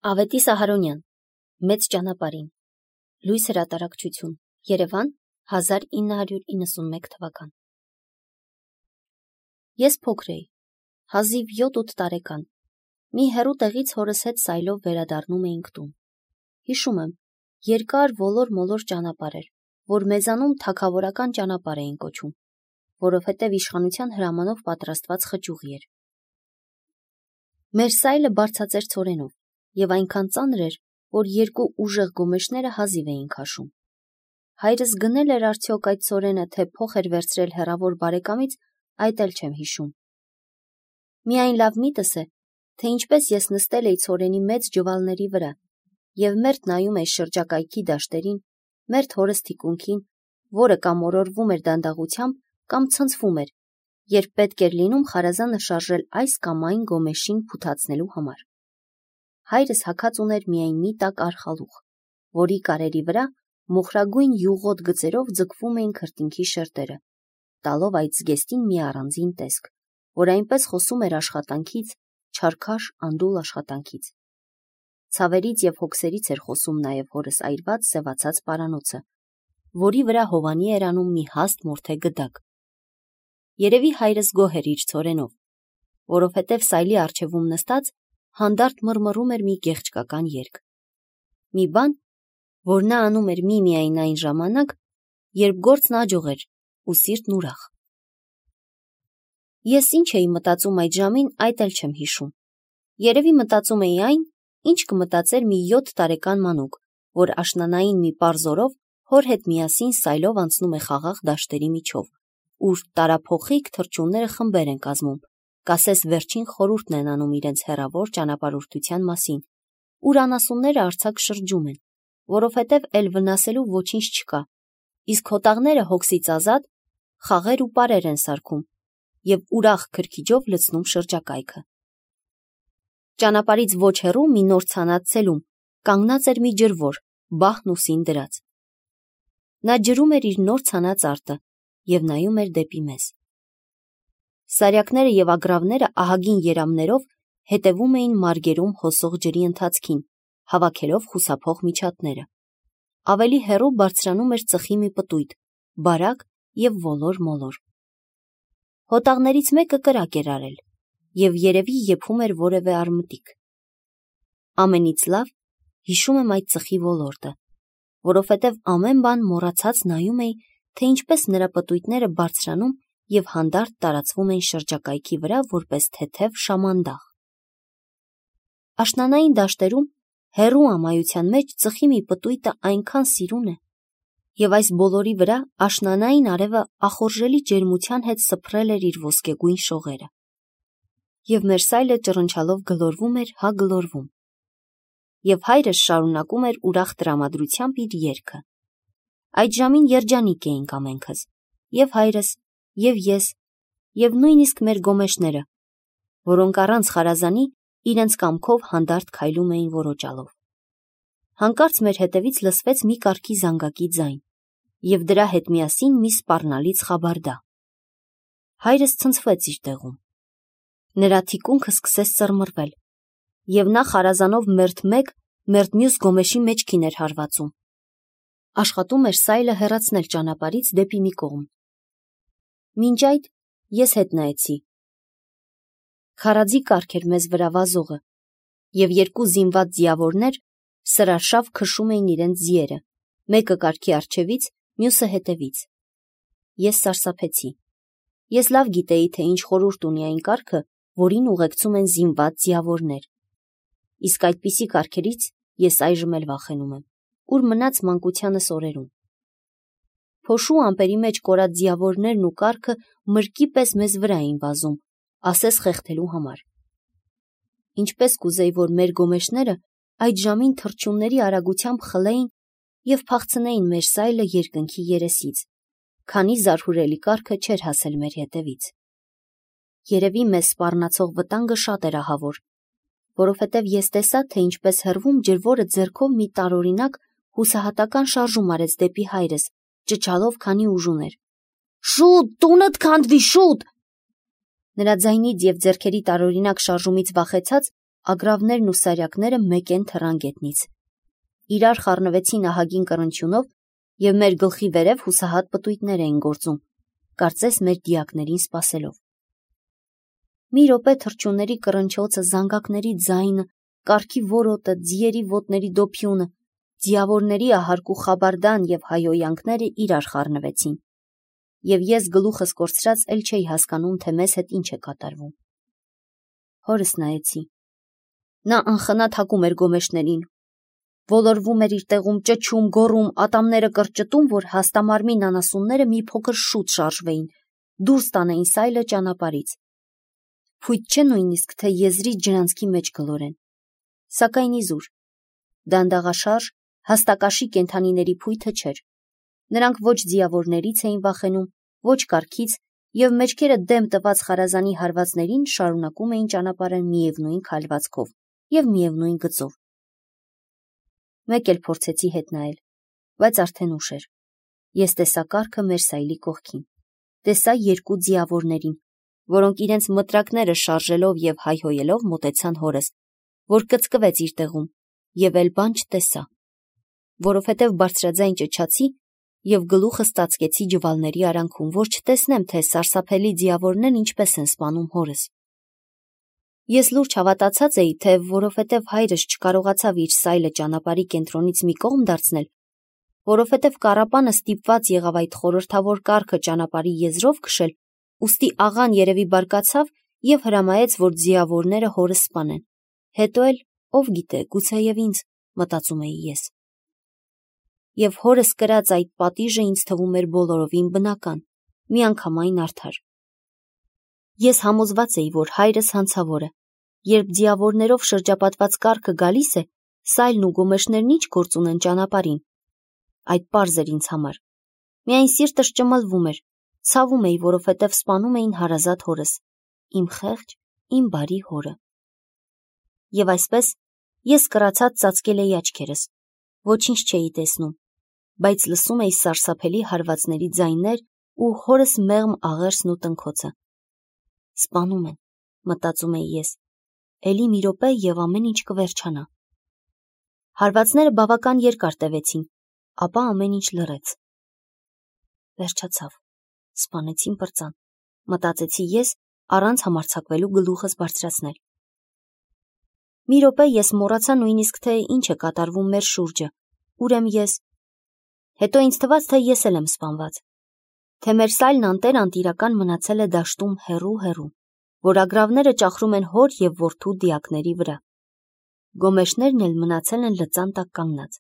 Ավետիս Ահարոնյան, Մեծ ճանապարհին, Լույս հրատարակչություն, Երևան, 1991 թվական։ Ես փոքր էի, հազիվ 7-8 տարեկան, մի հեռու տեղից հորս հետ սայլով վերադառնում էինք տուն։ Հիշում եմ, երկար ոլոր-մոլոր ճանապարհ էր, որ մեզանում թագավորական ճանապարհ էին կոչում, որովհետև իշխանության հրամանով պատրաստված խճուղի էր։ Մեր սայլը բարձրացեր ցորենով, և այնքան ծանր էր, որ երկու ուժեղ գոմեշները հազիվ էին քաշում։ Հայրս գնել էր արդյոք այդ ցորենը, թե փող էր վերցրել հեռավոր բարեկամից, այդ էլ չեմ հիշում։ Միայն լավ միտս է, թե ինչպես ես նստել էի ցորենի մեծ ջվալների վրա և մերթ նայում էի շրջակայքի դաշտերին, մերթ հորս թիկունքին, որը կամ օրորվում էր դանդաղությամբ, կամ ցնցվում էր, երբ պետք էր լինում խարազանը շարժել այս կամ այն գոմեշին փութացնելու համար։ Հայրս հագած ուներ միայն մի տաք արխալուղ, որի կարերի վրա մոխրագույն յուղոտ գծերով ձգվում էին քրտինքի շերտերը, տալով այդ զգեստին մի առանձին տեսք, որ այնպես խոսում էր աշխատանքից, չարքաշ անդուլ աշխատանքից։ Ցավերից և հոգսերից էր խոսում նաև հորս այրված սևացած պարանոցը, որի վրա հովանի էր անում մի հաստ մորթե գդակ։ Երևի հայրս գոհ էր իր ցորենով, որովհետև սայլի առջևում նստած հանդարտ մռմռում էր մի գեղեցկական երգ։ Մի բան, որ նա անում էր միմիայն այն ժամանակ, երբ գործն աջող էր ու սիրտն ուրախ։ Ես ինչ էի մտածում այդ ժամին, այդ էլ չեմ հիշում։ Երևի մտածում էի այն, ինչ կմտածեր մի 7 տարեկան մանուկ, որ աշնանային մի պարզ օրով հոր հետ միասին սայլով անցնում է խաղաղ դաշտերի միջով, ուր տարափոխիկ թռչունները խմբեր են կազմում, կասես վերջին խորհուրդն են անում իրենց հեռավոր ճանապարհորդության մասին, ուր անասունները արձակ շրջում են, որովհետև էլ վնասելու ոչինչ չկա, իսկ հոտաղները հոգսից ազատ խաղեր ու պարեր են սարքում և ուրախ քրքիջով լցնում շրջակայքը։ Ճանապարհից ոչ հեռու մի նոր ցանած ցելում կանգնած էր մի ջրվոր, բահն ուսին դրած։ Նա ջրում էր իր նոր ցանած արտը և նայում էր դեպի մեզ։ Սարյակները և ագռավները ահագին երամներով հետևում էին մարգերում հոսող ջրի ընթացքին, հավաքելով խուսափող միջատները։ Ավելի հեռու բարձրանում էր ծխի մի պտույտ, բարակ և ոլոր-մոլոր։ Հոտաղներից մեկը կրակ էր արել և երևի եփում էր որևէ արմտիկ։ Ամենից լավ հիշում եմ այդ ծխի ոլորտը, որովհետև ամեն բան մոռացած նայում էի, թե ինչպես նրա պտույտները բարձրանում և հանդարտ տարածվում են շրջակայքի վրա որպես թեթև շամանդաղ։ Աշնանային դաշտերում հեռու ամայության մեջ ծխի մի պտույտը այնքան սիրուն է, և այս բոլորի վրա աշնանային արևը ախորժելի ջերմության հետ սփռել էր իր ոսկեգույն շողերը։ Եվ մեր սայլը ճռնչալով գլորվում էր, հա գլորվում։ Եվ հայրս շարունակում էր ուրախ տրամադրությամբ իր երգը։ Այդ ժամին երջանիկ էինք ամենքս, և հայրս, և ես, և նույնիսկ մեր գոմեշները, որոնք առանց խարազանի իրենց կամքով հանդարտ քայլում էին որոճալով։ Հանկարծ մեր հետևից լսվեց մի կարգի զանգակի ձայն, և դրա հետ միասին մի սպառնալից խաբարդա։ Հայրս ցնցվեց իր տեղում։ Նրա թիկունքը սկսեց ծռմռվել, և նա խարազանով մերթ մեկ, մերթ մյուս գոմեշի մեջքին էր հարվածում։ Աշխատում էր սայլը հեռացնել ճանապարհից դեպի մի կողմ։ Մինչ այդ ես հետ նայեցի։ Քարաձի կարգ էր մեզ վրա վազողը, և երկու զինված ձիավորներ սրարշավ քշում էին իրենց ձիերը, մեկը կառքի առջևից, մյուսը հետևից։ Ես սարսափեցի։ Ես լավ գիտեի, թե ինչ խորհուրդ ունի այն կառքը, որին ուղեկցում են զինված ձիավորներ։ Իսկ այդպիսի կառքերից ես այժմ էլ վախենում եմ, ուր մնաց մանկությանս օրերում։ Փոշու ամպերի մեջ կորած ձիավորներն ու կառքը մրկի պես մեզ վրա էին վազում, ասես խեղդելու համար։ Ինչպես կուզեի, որ մեր գոմեշները այդ ժամին թռչունների արագությամբ խլեին և փախցնեին մեր սայլը երկնքի երեսից, քանի զարհուրելի կառքը չէր հասել մեր հետևից։ Երևի մեզ սպառնացող վտանգը շատ էր ահավոր, որովհետև ես տեսա, թե ինչպես հեռվում ջրվորը ձեռքով մի տարօրինակ հուսահատական շարժում արեց դեպի հայրս, ճչալով, քանի ուժ ուներ. «Շուտ, տունդ քանդվի, շուտ»։ Նրա ձայնից և ձեռքերի տարօրինակ շարժումից վախեցած, ագրավներն ու սարյակները մեկեն թռան գետնից։ Իրար խառնվեցին ահագին կռնչյունով և մեր գլխի վերև հուսահատ պտույտներ էին գործում, կարծես մեր դիակներին սպասելով։ Մի րոպե թռչունների կռնչոցը, զանգակների ձայնը, կառքի որոտը, ձիերի ոտների դոփյունը, ձիավորների ահարկու խաբարդան և հայհոյանքները իրար խառնվեցին, և ես գլուխս կորցրած էլ չէի հասկանում, թե մեզ հետ ինչ է կատարվում։ Հորս նայեցի։ Նա անխնա թակում էր գոմեշներին, ոլորվում էր իր տեղում, ճչում, գոռում, ատամները կրճտում, որ հաստամարմին անասունները մի փոքր շուտ շարժվեին, դուրս տանեին սայլը ճանապարհից։ Փույթ չէ նույնիսկ, թե եզրից ջրանցքի մեջ գլորեն։ Սակայն իզուր, դանդաղաշարժ, հաստակաշի կենդանիների փույթը չէր։ Նրանք ոչ ձիավորներից էին վախենում, ոչ կառքից, և մեջքերը դեմ տված խարազանի հարվածներին շարունակում էին ճանապարհը միևնույն քայլվածքով և միևնույն գծով։ Մեկ էլ փորձեցի հետ նայել, բայց արդեն ուշ էր։ Ես տեսա կառքը մեր սայլի կողքին, տեսա երկու ձիավորներին, որոնք իրենց մտրակները շարժելով և հայհոյելով մոտեցան հորս, որ կծկվեց իր տեղում, և էլ բան չտեսա, որովհետև բարձրաձայն ճչացի և գլուխս ծածկեցի ջվալների արանքում, որ չտեսնեմ, թե սարսափելի ձիավորներն ինչպես են սպանում հորս։ Ես լուրջ հավատացած էի, թե որովհետև հայրս չկարողացավ իր սայլը ճանապարհի կենտրոնից մի կողմ դարձնել, որովհետև կառապանը ստիպված եղավ այդ խորհրդավոր կառքը ճանապարհի եզրով քշել, ուստի աղան երևի բարկացավ և հրամայեց, որ ձիավորները հորս սպանեն։ Հետո էլ, ով գիտե, գուցեև ինձ, մտածում էի ես։ Եվ հորս կրած այդ պատիժը ինձ թվում էր բոլորովին բնական, միանգամայն արդար։ Ես համոզված էի, որ հայրս հանցավոր է։ Երբ ձիավորներով շրջապատված կառքը գալիս է, սայլն ու գոմեշներն ինչ գործ ունեն ճանապարհին։ Այդ պարզ էր ինձ համար։ Միայն սիրտս ճմլվում էր, ցավում էի, որովհետև սպանում էին հարազատ հորս, իմ խեղճ, իմ բարի հորը։ Եվ այսպես ես կռացած ծածկել էի աչքերս, ոչինչ չէի տեսնում, բայց լսում էի սարսափելի հարվածների ձայներ ու հորս մեղմ աղերսն ու տնքոցը։ Սպանում են, մտածում էի ես, էլի մի րոպե և ամեն ինչ կվերջանա։ Հարվածները բավական երկար տևեցին, ապա ամեն ինչ լռեց։ Վերջացավ, սպանեցին պրծան, մտածեցի ես, առանց համարձակվելու գլուխս բարձրացնել։ Մի րոպե ես մոռացա նույնիսկ, թե ինչ է կատարվում մեր շուրջը, ուր եմ ես։ Հետո ինձ թվաց, թե ես էլ եմ սպանված, թե մեր սայլն անտեր-անտիրական մնացել է դաշտում հեռու, որ ագրավները ճախրում են հոր և որդու դիակների վրա։ Գոմեշներն էլ մնացել են լծան տակ կանգնած։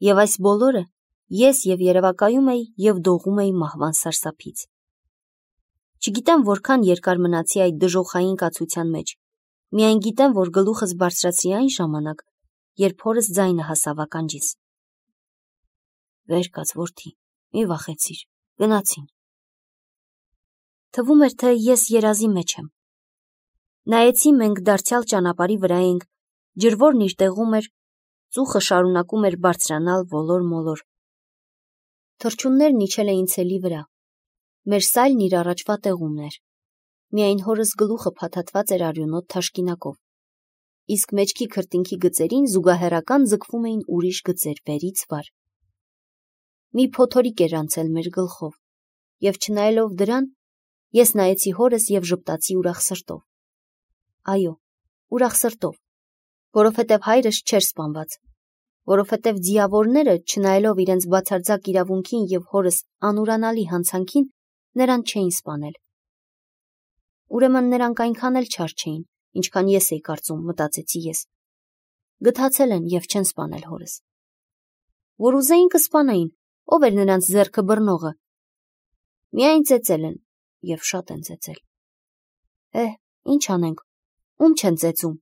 Եվ այս բոլորը ես և երևակայում էի և դողում էի մահվան սարսափից։ Չգիտեմ որքան երկար մնացի այդ դժոխային կացության մեջ, միայն գիտեմ, որ գլուխս բարձրացրի այն ժամանակ, երբ հորս ձայնը հասավ ականջիս. «Վեր կաց, որդի, մի վախեցիր, գնացին»։ Թվում էր, թե ես երազի մեջ եմ։ Նայեցի, մենք դարձյալ ճանապարհի վրա ենք, ջրվորն իր տեղում էր, ծուխը շարունակում էր բարձրանալ ոլոր-մոլոր։ Թռչուններն իջել էին ցելի վրա։ Մեր սայլն իր առաջվա տեղումն էր։ Միայն հորս գլուխը փաթաթված էր արյունոտ թաշկինակով, իսկ մեջքի քրտինքի գծերին զուգահեռական ձգվում էին ուրիշ գծեր վերից վար։ Մի փոթորիկ էր անցել մեր գլխով, և չնայելով դրան, ես նայեցի հորս և ժպտացի ուրախ սրտով։ Այո, ուրախ սրտով, որովհետև հայրս չէր սպանված, որովհետև ձիավորները, չնայելով իրենց բացարձակ իրավունքին և հորս անուրանալի հանցանքին, նրան չէին սպանել։ Ուրեմն նրանք այնքան էլ չար չէին, ինչքան ես էի կարծում, մտածեցի ես։ Գթացել են և չեն սպանել հորս։ Որ ուզեին կսպանեին, ով էր նրանց ձեռքը բռնողը։ Միայն ծեծել են, և շատ են ծեծել։ Ինչ անենք, ում չեն ծեծում։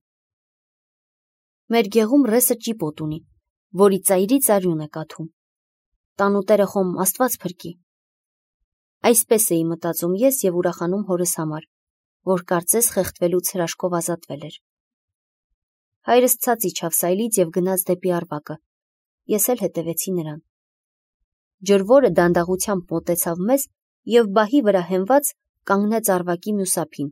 Մեր գեղում ռեսը ճիպոտ ունի, որի ծայրից արյուն է կաթում։ Տանուտերը խոմ Աստված փրկի։ Այսպես էի մտածում ես և ուրախանում հորս համար, որ կարծես խեղդվելուց հրաշքով ազատվել էր։ Հայրս ցած իջավ սայլից և գնաց դեպի Առվակը։ Ես էլ հետևեցի նրան։ Ջրվորը դանդաղությամբ մոտեցավ մեզ և բահի վրա հենված կանգնեց Առվակի մյուս ափին։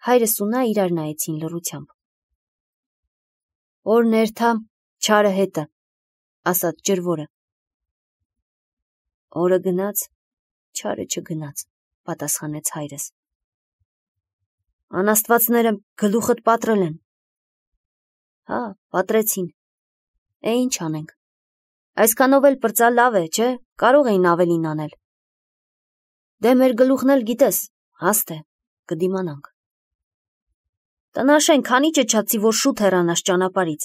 Հայրս ու նա իրար նայեցին լռությամբ։ Օր ներթա, չարը հետը, ասաց ջրվորը։ Օրը գնաց, չարը չգնաց, պատասխանեց հայրս։ Անաստվածները գլուխդ պատրել են։ Հա, պատրեցին։ Ինչ անենք։ Այսքանով էլ պրծա լավ է, չէ՞, կարող էին ավելին անել։ Դե մեր գլուխն էլ գիտես, հաստ է, կդիմանանք։ Տնաշեն, քանի ճչացի, որ շուտ հեռանաս ճանապարից։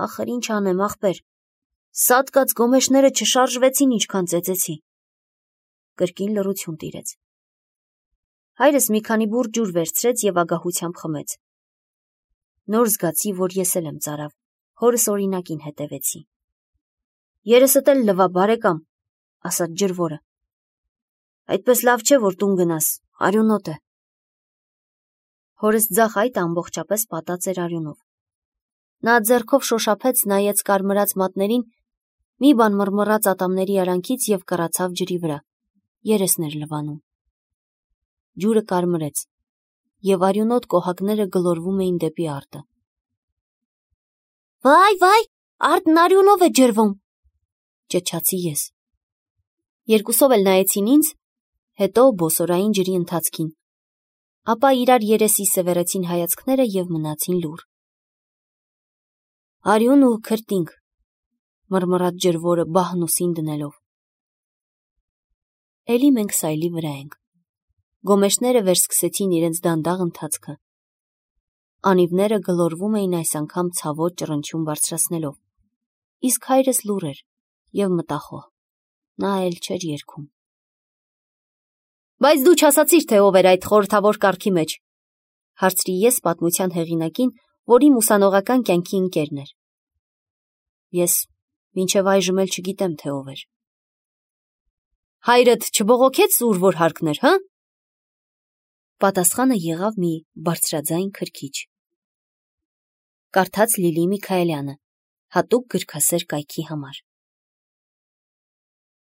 Ախր ինչ անեմ, ախպեր, սատկած գոմեշները չշարժվեցին ինչքան ծեծեցի։ Կրկին լռություն տիրեց։ Հայրս մի քանի բուռ ջուր վերցրեց և ագահությամբ խմեց։ Նոր զգացի, որ ես էլ եմ ծարավ, հորս օրինակին հետևեցի։ Երեսդ էլ լվա, բարեկամ, ասաց ջրվորը։ Այդպես լավ չէ, որ տուն գնաս, արյունոտ է։ Հորս ձախ այդ ամբողջապես պատած էր արյունով։ Նա ձեռքով շոշափեց, նայեց կարմրած մատներին, մի բան մռմռաց ատամների արանքից և կռացավ ջրի վրա, երեսն էր լվանում։ Ջուրը կարմրեց, և արյունոտ կոհակները գլորվում էին դեպի արտը։ Վայ, արտն արյունով է ջրվում, ճչացի ես։ Երկուսով էլ նայեցին ինձ, հետո բոսորային ջրի ընթացքին, ապա իրար երեսի սևեռեցին հայացքները և մնացին լուռ։ Արյուն ու քրտինք, մռմռաց ջրվորը բահն ուսին դնելով։ Էլի մենք սայլի վրա ենք։ Գոմեշները վերսկսեցին իրենց դանդաղ ընթացքը։ Անիվները գլորվում էին այս անգամ ցավոտ ճռնչյուն բարձրացնելով, իսկ հայրս լուռ էր և մտախոհ, նա էլ չէր երգում։ Բայց դու չասացիր, թե ով էր այդ խորհրդավոր կառքի մեջ, հարցրի ես պատմության հեղինակին, որ իմ ուսանողական կյանքի ընկերն էր։ Ես մինչև այժմ էլ չգիտեմ, թե ով էր։ Հայրդ չբողոքեց ուր որ հարկներ, հա՞։ Պատասխանը եղավ մի բարձրաձայն քրքիջ։ Կարդաց Լիլի Միքայելյանը, հատուկ գրքասեր կայքի համար։